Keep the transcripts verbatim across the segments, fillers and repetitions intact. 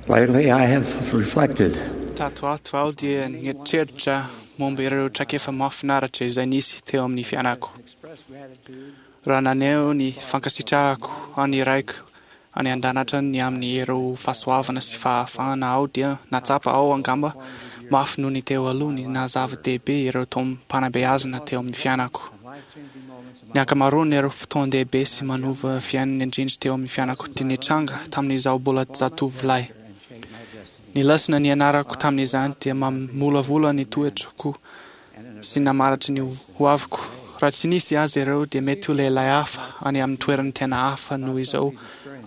Lately, I have reflected Tato ato aho dia nieritreritra momba ireo traikefa mahafinaritra izay nisy teo amin'ny fiainako. Raha naneho ny fankasitrahako an'ny Raiko any an-danitra ny amin'ireo fahasoavana sy fahafahana aho dia nahatsapa aho angamba mafy noho ny teo aloha ny naha-zava-dehibe ireo taom-panabeazana teo amin'ny fiainako. Ny ankamaroan'ireo fotoan-dehibe sy manova fiainana indrindra teo amin'ny fiainako dia nitranga tamin'izaho mbola zatovolahy. Ny lesona nianarako tamin'izany dia mamolavola ny toetrako sy namaritra ny hoaviko. Raha tsy nisy azy ireo dia mety ho lehilahy hafa any amin'ny toerana tena hafa noho izao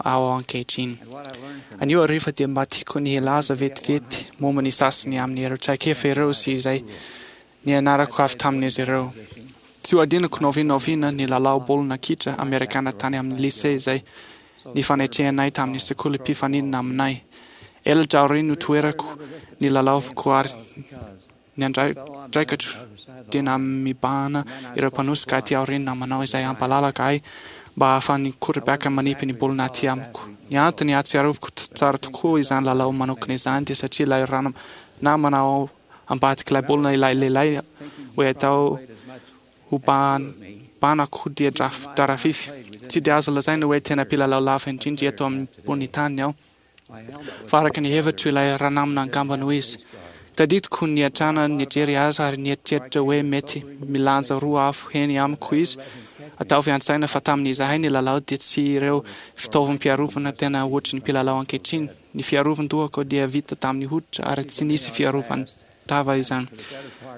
aho ankehitriny. Anio hariva dia mba tiako ny hilaza vetivety momba ny sasany amin'ireo traikefa ireo sy izay nianarako avy tamin'izy ireo. Tsy ho adinoko na oviana na oviana ny lalao baolina kitra amerikana tany amin'ny lycée izay nifanetrehanay tamin'ny sekoly mpifaninana aminay. Elatra aorian'ny no toerako nilalaovako ary ny andraikitro dia namibahana ireo mpanosika aty aoriana namanao izay hampalalaka ahy mba hahafahan'ny quarterback manipy ny baolina aty amiko. Ny antony ahatsiarovako tsara tokoa izany lalao manokana izany dia satria ilay namana ao ambadik'ilay baolina ilay lehilahy hoe atao ho banako dia Darafify. Tsy dia azo lazaina hoe tena mpilalao lava indrindra eto ambony tany aho, fa araka ny hevitro ilay ranamana angamba no izy. Tadidiko niatrana nijery azy ary nieritreritra hoe mety milanja roa avo heny amiko izy. Ataovy an-tsaina fa tamin'izahay nilalao dia tsy ireo fitaovam-piarovana tena ohatry ny mpilalao ankehitriny. Ny fiarovan-dohako dia vita tamin'ny hoditra ary tsy nisy fiarovan-tava izany.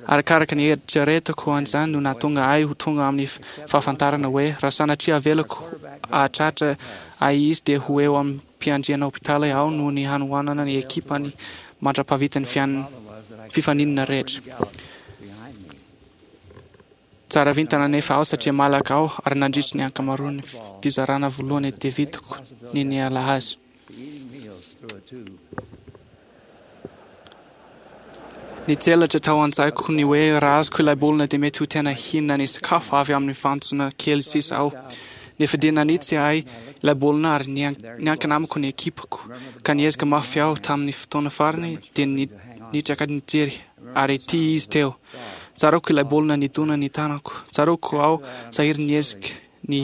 Arakaraka ny eritreretako an'izany no nahatonga ahy ho tonga amin'ny fahafantarana hoe raha sanatria avelako hahatratra ahy izy dia ho eo amin'ny mpiandriana hopitaly aho noho ny hanoanana ny ekipany mandra-pahavita ny fifaninana rehetra. Tsara vintana anefa aho satria malaka aho ary nandritry ny ankamaroan'ny fizarana voalohany dia vitako ny niala azy. Nitselatra tao an-tsaiko ny hoe raha azoko ilay baolina dia mety ho tena hihinana ny sakafo avy amin'ny fantsona kely sisa aho. Nefa dia nanitsy ahy ilay baolina ary niankina amiko ny ekipako, ka niezaka mafy aho tamin'ny fotoana farany dia nitraka nijery ary ity izy teo. Tsaroako ilay baolina nidona ny tanako. Tsaroako aho sahiry niezaka ny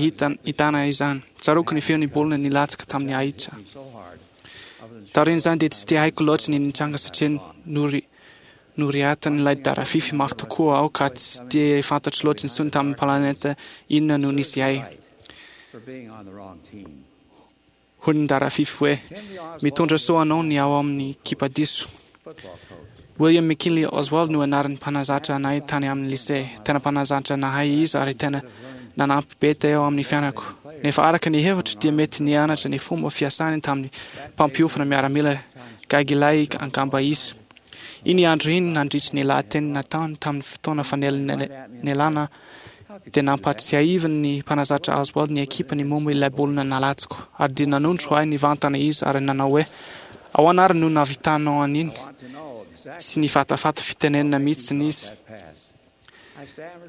hitana izany. Tsaroako ny feon'ny baolina nilatsaka tamin'ny ahitra. Taorian'izany dia tsy dia haiko loatra ny nitranga satria nory noriatan'ilay Darafify mafy tokoa aho ka tsy dia fantatro loatra intsony tamin'ny planeta inona no nisy ahy. Hoy ny Darafify hoe, mitondra soa anao ny ao amin'ny ekipa diso. William McKinley Oswald no anaran'ny mpanazatra anay tany amin'ny lycée. Tena mpanazatra nahay izy ary tena nanampy be teo amin'ny fiainako. Nefa araka ny hevitro dia mety nianatra ny fomba fiasany tamin'ny mpampiofana miaramila gaigilahy angamba izy. Iny andro iny nandritry ny lahateny nataony tamin'ny fotoana fanelanelana dia nampahatsiahivin'ny mpanazatra Oswald ny ekipany momba ilay baolina nalatsiko ary dia nanondro ahy nivantana izy ary nanao hoe ahoana ary no nahavitanao an'iny? Tsy nifatafata fitenenana mihitsy izy.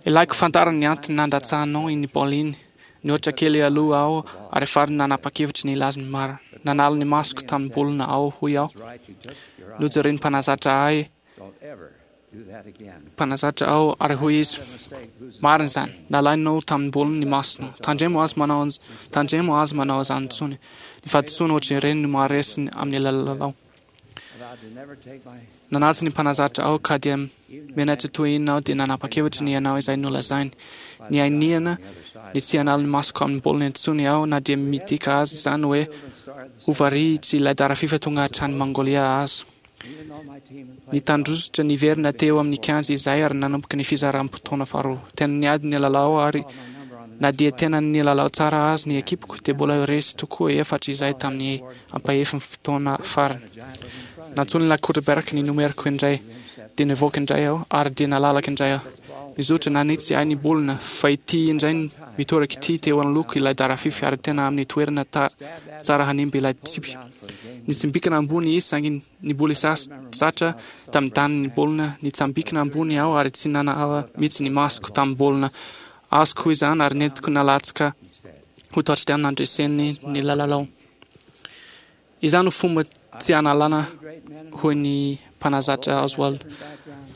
Ilaiko fantarina ny antony nandatsahanao iny baolina iny. Nihoatra kely aloha aho ary farany nanapa-kevitra ny hilaza ny marina. Nanala ny masoko tamin'ny baolina aho, hoy aho. Nojeren'ny mpanazatra ahy mpanazatra aho ary hoy izy, marina izany, nalainao tamin'ny baolina ny masonao. Tandremo azy manao tandremo azy manao izany intsony. Ny fahadisoana ohatran'ireny no maharesy amin'ny lalao. Nanaja ny mpanazatra aho ka dia menatra toy inona aho dia nanapa-kevitra ny hanao izay nolazainy. Nianiana ny tsy hanala ny masoko amin'ny baolina intsony aho na dia midika azy izany hoe ho varihitry ilay Darafifa tonga hatrany Mongolia aza. Nitandrosotra niverina teo amin'ny kianja izahay ary nanomboka ny fizaram-potoana faharoa. Tena niady ny lalao ary na dia tena nilalao tsara azy ny ekipako dia mbola resy tokoa efatra izahay tamin'ny ampahefin'ny fotoana farany. Nantsoin'ilay quarterback ny nomeriko indray dia nivoaka indray aho ary dia nalalaka indray aho. Nizotra nanitsy ahy ny baolina fa ity indray mitoraka ity teo anoloako ilay Darafify ary tena amin'ny toerana tsara hanimba ilay tsipy. Nitsambikina ambony izy saingy niboly satra tamin'ny tany ny baolina. Nitsambikina ambony aho ary tsy nanala mihitsy ny masoko tamin'ny baolina. Azoko izany ary nentiko nalatsaka ho touchdown nandreseny ny lalao. Izany no fomba Tsy analana, hoy ny mpanazatra Oswald.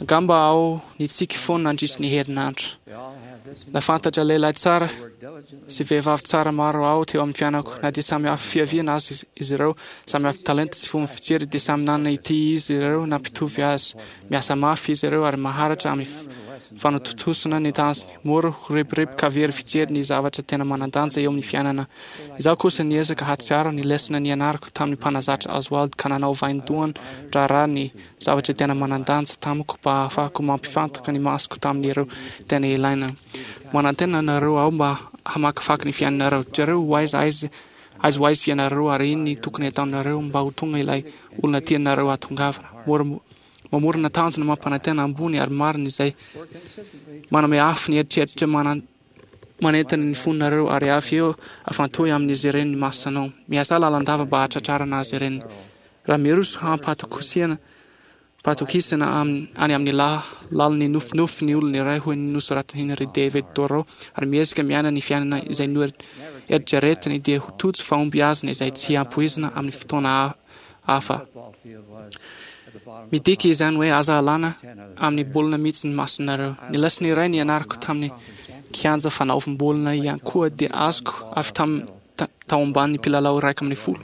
Angamba aho nitsiky foana nandritry ny herinandro. Nahafantatra lehilahy tsara sy vehivavy tsara maro aho teo amin'ny fiainako. Na dia samy hafa fiaviana aza izy ireo, samy hafa talenta sy fomba fijery, dia samy nanana ity izy ireo nampitovy azy. Miasa mafy izy ireo ary maharitra amin'ny fanatontosana ny tanjony. Mora ho rebireby ka very fijery ny zavatra tena manan-danja eo amin'ny fiainana. Izaho kosa niezaka hahatsiaro ny lesona nianarako tamin'ny mpanazatra Oswald ka nanao vaindohan-draharaha ny zavatra tena manan-danja tamiko mba hahafahako mampifantoka ny masoko tamin'ireo tena ilaina. Manantena anareo aho mba hamakivaky ny fiainanareo. Jereo ho aiza aiza aiza ho aiza ianareo ary inona no tokony hataonareo mba ho tonga ilay olona tianareo hahatongavana. Mora mamorona tanjona mampanantena ambony ary marina izay manome afo ny eritreritra manentana ny fonareo ary avy eo afantohy amin'izy ireny ny masonao. Miasà lalandava mba hahatratrarana azy ireny. Raha miroso hampatokisana patokisana any amin'ny lalin'ny nofinofy ny olona iray, hoy ny nosoratan'i Henry David Thoreau, ary miezaka miaina ny fiainana izay noeritreretiny, dia ho tojo fahombiazana izay tsy ampoizina amin'ny fotoana hafa. Midika izany hoe aza alana amin'ny baolina mihitsy ny masonareo. Ny lesona iray nianarako tamin'ny kianja fanaovam-baolina ihany koa dia azoko avy tamin'ny tao ambanin'ny mpilalao iraika ambin'ny folo.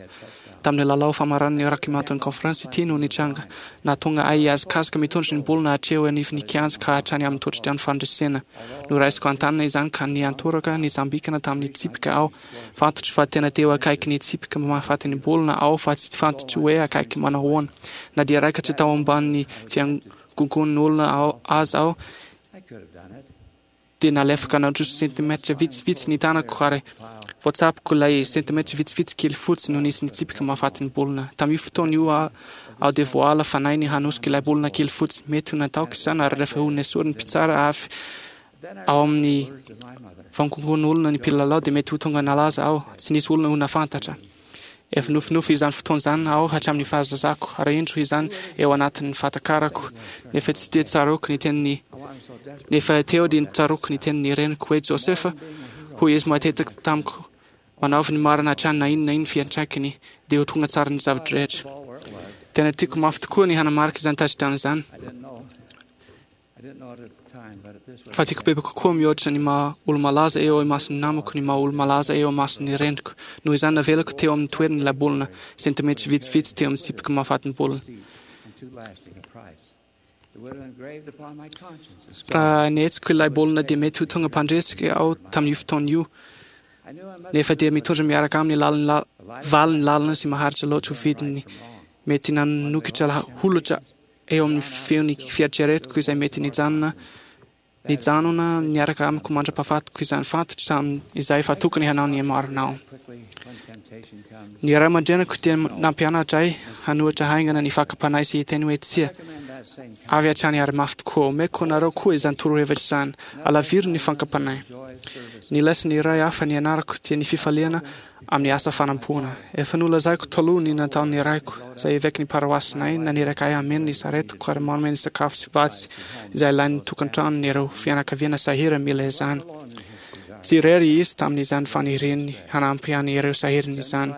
Tamin'ny lalao famaranan'ny Rocky Mountain Conference ity no nitranga. Nahatonga ahy hihazakazaka mitondra ny baolina hatreo anivon'ny kianja ka hatrany amin'ny totodrano fandresena. Noraisiko an-tanana izany ka niantoraka nitsambikina tamin'ny tsipika aho. Fantatro fa tena teo akaiky ny tsipika mahafaty ny baolina aho fa tsy fantatro hoe akaiky manao ahoana. Na dia raikatra tao ambanin'ny fiangongon'olona aza aho, dia nalefaka nandroso sentimetatra vitsivitsy ny tanako ary voatsapiko ilay sentimetatra vitsivitsy kely fotsy no nisy ny tsipika mahafaty ny baolina. Tamin'io fotoana io aho dia voaala fanahy ny hanosika ilay baolina kely fotsy. Mety ho nataoko izany ary rehefa ho nesorin'ny mpitsara avy ao amin'ny vangongon'olona ny mpilalao dia mety ho tonga nalaza aho. Tsy nisy olona ho nahafantatra. Efa nofinofy izany fotoana izany aho hatramin'ny fahazazako ary indro izany eo anatin'ny fahatakarako. Nefa tsy dia tsaroako ny tenin'ny nefa teo dia tsaroako ny tenin'ny reniko hoe Josefa, hoy izy matetika tamiko, manaovy ny marina hatrany na inona na inona fiantraikany dia ho tonga tsara ny zava-drehetra. Tena tiako mafy tokoa ny hanamarika izany touchdown izany. Fa tiako bebe kokoa mihoatra ny maha olo-malaza eo imason'ny namako ny maha olo-malaza eo imason'ny reniko. Noho izany navelako teo amin'ny toerany ilay baolina, sentimetatra vitsivitsy teo amin'ny tsipika mahafaty ny baolina. Raha nihetsiko ilay baolina dia mety ho tonga mpandresy aho tamin'io fotoana io. Nefa dia mitondra miaraka aminy lalina valiny lalina sy maharitra loatra ho vidiny mety nanokatra holatra eo amin'ny feon'ny fieritreretiko izay mety nijanona nijanona niaraka amiko mandra-pahafatiko izany. Fantatro tamin'izay fa tokony hanao ny marina aho. Ny ray aman-dreniko dia nampianatra ahy hanohitra haingana ny fakam-panahy sy hiteny hoe tsia avy hatrany ary mafy tokoa. Omeko anareo koa izany torohevitra izany. Alaviro ny fakam-panahy. Ny lesona iray hafa nianarako dia ny fifaliana amin'ny asa fanampoana. Efa nolazaiko taloha ny nataon'ny raiko, izay eveky ny paroasinay, naniraka ahy hameno ny saretiko ary manome ny sakafo sy vatsy izay ilain'ny tokantranony ireo fianakaviana sahirana mila izany. Tsy irery izy tamin'izany faniriany hanampy an'ireo sahirana izany.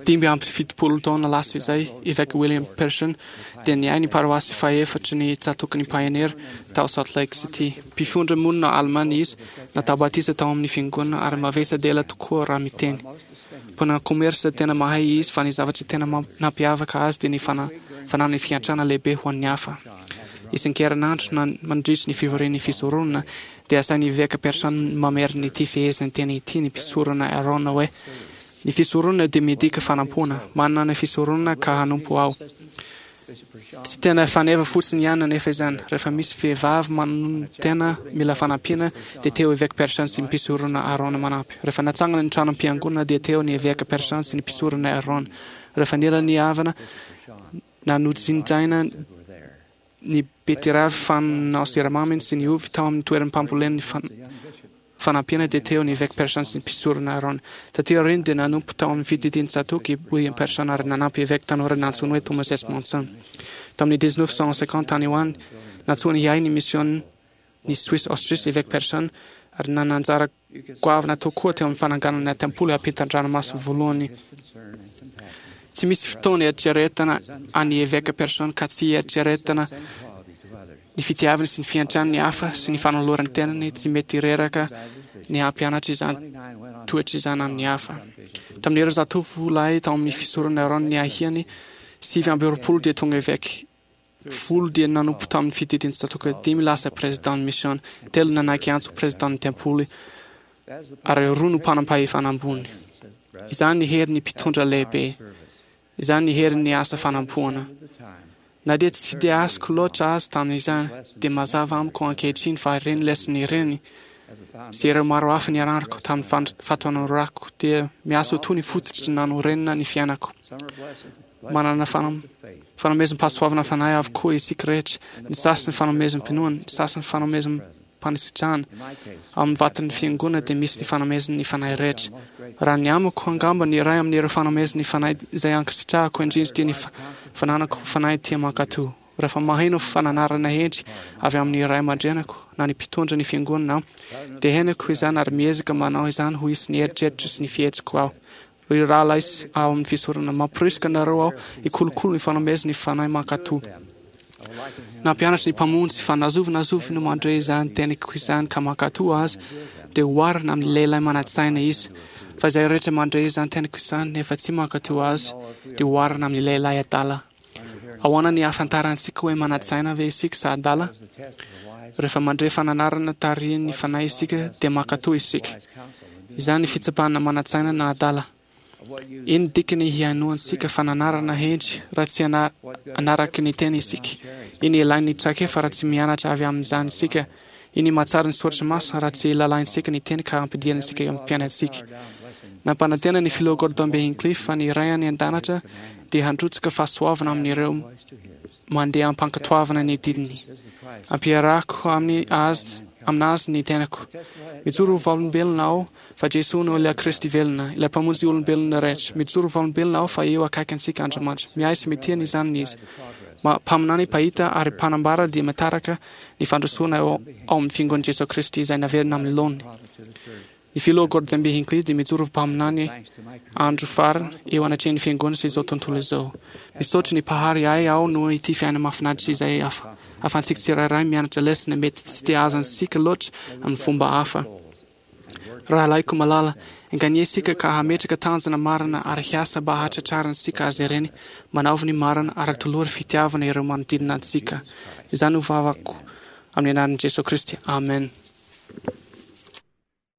Dimy amby fitopolo taona lasa izay, Evêque William Pearson dia niahy ny paroasy fahefatry ny tsatòkin'ny Pioneer tao Salt Lake City. Mpifindra monina alemana izy, natao batisa tao amin'ny fiangonana ary mavesa-dela tokoa raha miteny. Mpanao commerce tena mahay izy fa ny zavatra tena nampiavaka azy dia ny fananany fiantrana lehibe ho an'ny hafa. Isan-kerinandro na mandritry ny fivorian'ny fisoronana dia asain'ny Eveka Pearson mamerina ity fehezanteny ity ny mpisorona Aaron hoe, Ny fisoronana dia midika fanampoana. Manana ny fisoronana ka hanompo aho. Tsy tena faneva fotsiny ihany anefa izany. Rehefa misy vehivavy manonotena mila fanampiana dia teo Eveka Pearson sy ny mpisorona Aaron manampy. Rehefa natsangana ny tranom-piangonana dia teo ny Eveka Pearson sy ny mpisorona Aaron. Rehefa nila ny havana na nojinjaina ny betiravy fanao siramamy sy ny ovy tao amin'ny toeram-pambolen'ny fanampiana dia teo ny Eveka Pearson sy ny mpisorona Aaron. Taty aoriana dia nanompo tao amin'ny fididian'i Tsatoka i William Pearson ary nanampy eveka tanora nantsoiny hoe Thomas S. Monson. Tamin'ny dix-neuf cent cinquante tany ho any, nantsoiny hiahy ny misiôn'ny Suisse Autriche Eveka Pearson ary nanana anjara goavana tokoa teo amin'ny fananganana ny tempoly ampitan-dranomasina voalohany Tsy misy fotoana eritreretana an'ny Eveka Person ka tsy eritreretana ny fitiavany sy ny fiantrany ny hafa sy ny fanolorany tenany tsy mety reraka ny hampianatra izany toetra izany amin'ny hafa. Tamin'ireo zatovolahy tao amin'ny fisoronana Aaron niahiany, sivy amby roapolo dia tonga eveka, folo dia nanompo tamin'ny fididian'ny tsatòka, dimy lasa prezidan'ny misiôna, telo nanaiky antso ho prezidan'ny tempoly, ary roa no mpanam-pahefana ambony. Izany ny herin'ny mpitondra lehibe. Izany ny herin'ny asa fanompoana. Na dia tsy dia azoko loatra azy tamin'izany, dia mazava amiko ankehitriny fa ireny lesona ireny sy ireo maro hafa nianarako tamin'ny fahatanorako dia miasa ho toy ny fototry nanorenana ny fiainako. Manana fanomezam-pahasoavana fanahy avokoa isika rehetra, ny sasany fanomezam-pinoana, ny sasany fanomezam-panisitrahana. Ao amin'ny vatan'ny Fiangonana dia misy ny fanomezan'ny Fanahy rehetra. Raha ny amiko, angamba ny iray amin'ireo fanomezan'ny Fanahy izay ankasitrahako indrindra dia ny fananako fanahy tia mankatò. Rehefa maheno fananarana hendry avy amin'ny ray aman-dreniko na ny mpitondra ny Fiangonana aho, dia henoko izany ary miezaka manao izany ho isan'ny eritreritro sy ny fihetsiko aho. Ry rahalahy sy ao amin'ny fisoronana, mamporisika anareo aho hikolokolo ny fanomezan'ny Fanahy mankatò. Nampianatra ny Mpamonjy fa na zovy na zovy no mandre izany teniko izany ka mankatò azy, dia oharina amin'ny lehilahy manan-tsaina izy. Fa izay rehetra mandre izany teniko izany nefa tsy mankatò azy, dia oharina amin'ny lehilahy adala. Ahoana ny ahafantarantsika hoe manan-tsaina ve isika sa adala? Rehefa mandre fananarana tarihin'ny Fanahy isika, dia mankatò isika. Izany ny fitsapana manan-tsaina na adala. Ino dikany hihainoantsika fananarana hendry raha tsy hanaraka ny teny isika? Ino ilain'ny traikefa raha tsy mianatra avy amin'izany isika? Ino mahatsara ny soratra masina raha tsy lalaintsika ny teny ka ampidirantsika eo amin'ny fiainantsika? Nampanantena ny Filoha Gordon B. Hinckley fa ny Ray any An-danitra dia handrotsaka fahasoavana amin'ireo mandeha am-pankatoavana ny didiny. Ampiarahako amin'ny Azy aminazy ny tenako. Mijoro ho vavolombelona aho fa Jesoa no ilay Kristy velona, ilay Mpamonjy olombelona rehetra. Mijoro ho vavolombelona aho fa eo akaiky antsika Andriamanitra. Miahy sy mitia ny zanany Izy. Mpaminany, mpahita ary mpanambara dia mitaraka ny fandrosoana ao amin'ny Fiangonan'i Jesoa Kristy izay naverina amin'ny laoniny. Ny Filoha Gordon B. Hinckley dia mijoro ho mpaminany andro farany eo anatrehan'ny Fiangonana sy izao tontolo izao. Misaotra ny Mpahary ahy aho noho ity fiainana mahafinaritra izay ahafahantsika tsirairay mianatra lesona mety tsy dia azontsika loatra amin'ny fomba hafa. Rahalahiko malala, enganie isika ka hametraka tanjona marina ary hiasa mba hahatratrarantsika azy ireny. Manaovy ny marina ary atolory fitiavana ireo manodidina antsika. Izany no vavako amin'ny anaran'i Jesoa Kristy. Amen.